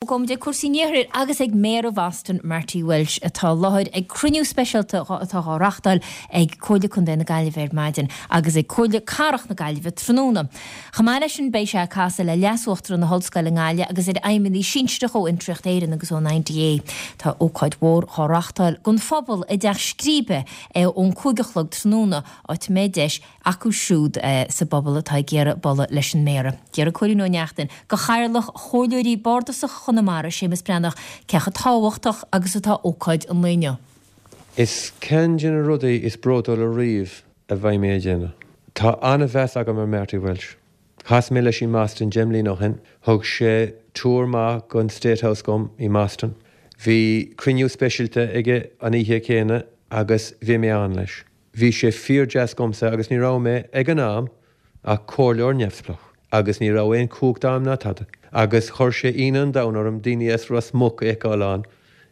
Gabhfaidh muid ag cúrsaí an iarthair agus ag Méara Bhoston, Marty Walsh, atá i láthair ag cruinniú speisialta atá á reachtáil ag Comhairle Contae na Gaillimhe ar maidin agus ag Comhairle Cathrach na Gaillimhe tráthnóna. Chomh maith leis sin beidh sé ag casadh le Leas-Uachtarán na hOllscoile i nGaillimh agus ar fheidhmeannaigh sinsearach ó Fhiontraíocht Éireann agus ón IDA. Tá ócáid mhór dhá reachtáil don phobal i dTeach Scríbe ón 5 a chlog tráthnóna, áit a mbeidh deis acu siúd sa bpobal atá ag iarraidh bualadh leis an Méara. D'fhiafraigh Cóilín Ó Neachtain de Chathaoirleach Chomhairleoirí Bardasacha Chonamara, Séamus Breathnach, cé chomh tábhachtach agus atá ócáid an lae inniu. Is ceann de na rudaí is bródúla riamh a bheidh mé a dhéanamh. Tá an-mheas agam ar Marty Walsh. Chas mé leis i mBoston 10 mbliana ó shin. Thug sé tour maith den State House dom i mBoston. Bhí cruinniú speisialta aige an oíche chéanna agus bhí mé ann leis. Bhí sé fíor-deas dhomsa agus ní raibh mé, ag an am, ach comhairleoir neamhspleách agus ní raibh aon chumhacht a'm ná tada. Agus chuir sé ionadh an domhain orm daoine as Ros Muc a fheiceáil ann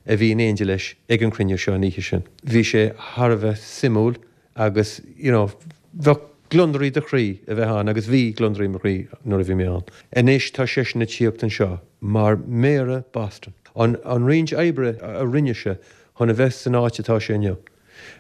a bhí in éindí leis ag an chruinniú seo an oíche sin. Bhí sé thar a bheith suimiúil agus, you know, bheadh gliondar i do chroí a bheith ann agus bhí gliondar i mo chroí nuair a bhí mé ann. Anois tá seisean ag tíocht anseo mar Méara Boston. An roinnt oibre a rinne sé chun a bheith san áit atá sé inniu.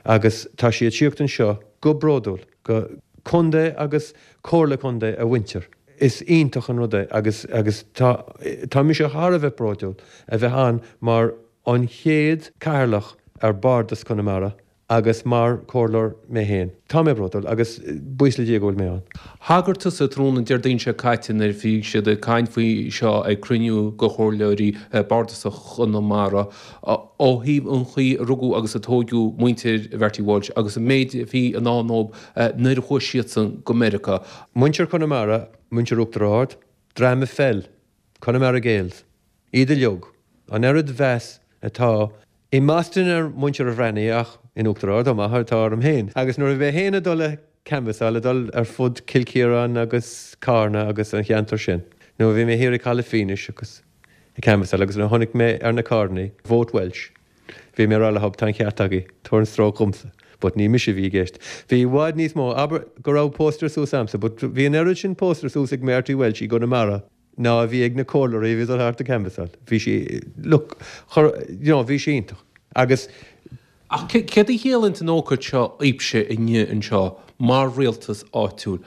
Agus tá sí ag tíocht anseo go bródúil go contae agus comhairle contae a mhuintir. Is iontach an rud é agus agus tá tá mise thar a bheith bródúil a bheith ann mar an chéad cathaoirleach ar Bardas Conamara agus mar comhairleoir mé féin. Tá mé bródúil agus buíochas le Dia go bhfuil mé ann. Thagair tusa tráthnóna Déardaoin seo caite nuair a bhí siad ag caint faoi seo ag cruinniú de chomhairleoirí bardasacha Chonamara ó thaobh an chaoi a rugadh agus a tóigeadh muintir Mharty Walsh agus an méid a bhí i ndán dóibh nuair a chuaigh siadsan go Meiriceá. Muintir Chonamara, muintir Uachtar Ard, dream a pheil, Connemara Gaels, iad uilig, an oiread mheas atá i mBoston ar mhuintir an Bhreathnaigh ach in Uachtar Ard chomh maith atá orm féin. Agus nuair a bhí mé féin ag dul ag canbhasáil, ag dul ar fud Cill Chiaráin agus Carna agus an cheantar sin, nuair a bhí mé thiar ag Caladh Fínis agus ag canbhasáil agus nuair a chonaic mé ar na carrannaí, Vote Walsh, bhí mé ag rá leob, tá an ceart agaibh, tabhair an stróc dhomsa. But ní mise a bhí i gceist. Bhí i bhfad níos mó, abair go raibh póstaer suas a'msa, but bhí an oiread sin póstaer suas ag Marty Walsh i gConamara ná a bhí ag na comhairleoirí a bhí ag dul thart ag canbhasáil. Bhí sí, look, chuir, you know, bhí sí iontach. Agus. Ach céard a chiallaíonn an ócáid seo daoibhse inniu anseo mar rialtas áitiúil?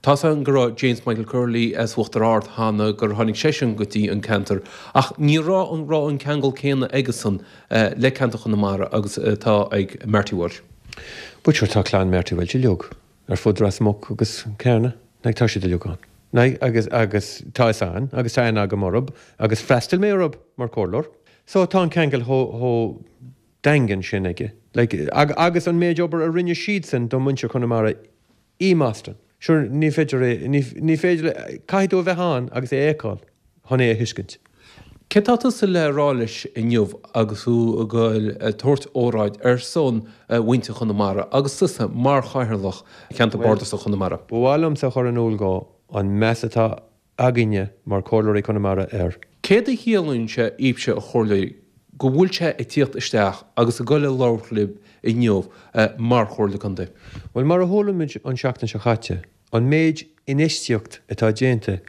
Tá's againn go raibh James Michael Curley as Uachtar Ard cheana, gur tháinig seisean go dtí an ceantar, ach ní raibh an raibh an ceangal céanna aigesan le ceantar Chonamara agus atá ag Marty Walsh. But sure tá clann Marty Walsh uilig ar fud Ros Muc agus Carna, like tá siad uilig ann. Like agus agus tá fhios a'inn agus tá aithne agam orthub agus freastail mé orthub mar comhairleoir. So tá an ceangal chomh chomh daingean sin aige. Like agus an méid obair a rinne siadsan do muintir Chonamara i mBoston. Sure ní féidir é, ní ní féidir le, caithfidh tú a bheith ann agus é a fheiceáil chun é a thuiscint. Céard tá tusa le rá leis inniu agus thú ag goil ag tabhairt óráid ar son mhuintir Chonamara agus tusa mar Chathaoirleach Cheantar Bardasach Chonamara? Ba mhaith liomsa a chur in iúl dhó an meas atá againne mar Chomhairleoirí Chonamara air. Céard a chiallaíonn sé daoibhse a chomhairleoirí go bhfuil sé ag tíocht isteach agus ag goil a labhairt libh inniu mar Chomhairle Contae? Bhuel, mar a chuala muid an seachtain seo chaite, an méid infheistíocht atá déanta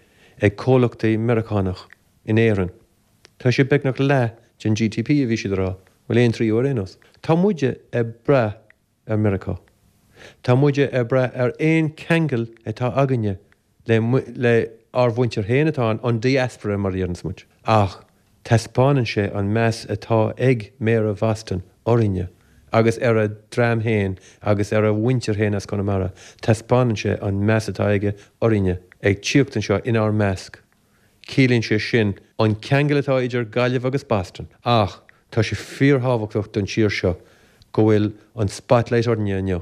ag comhlachtaí Meiriceánach in Éirinn, tá sé beagnach leath den GDP a bhí siad a rá, bhuel aon tríú ar aon nós. Tá muide ag brath ar Meiriceá. Tá muide ag brath ar aon cheangal atá againne le le ár mhuintir féin atá ann, an diaspora mar a deireanns muid. Ach taispeánann sé an meas atá ag Méara Bhoston orainne agus ar a dhream féin agus ar a mhuintir féin as Conamara, taispeánann sé an meas atá aige orainne ag tíocht anseo inár measc. Ciallaíonn sé sin an ceangal atá idir Gaillimh agus Boston ach tá sé fíorthábhachtach don tír seo go bhfuil an spotlight orainne inniu.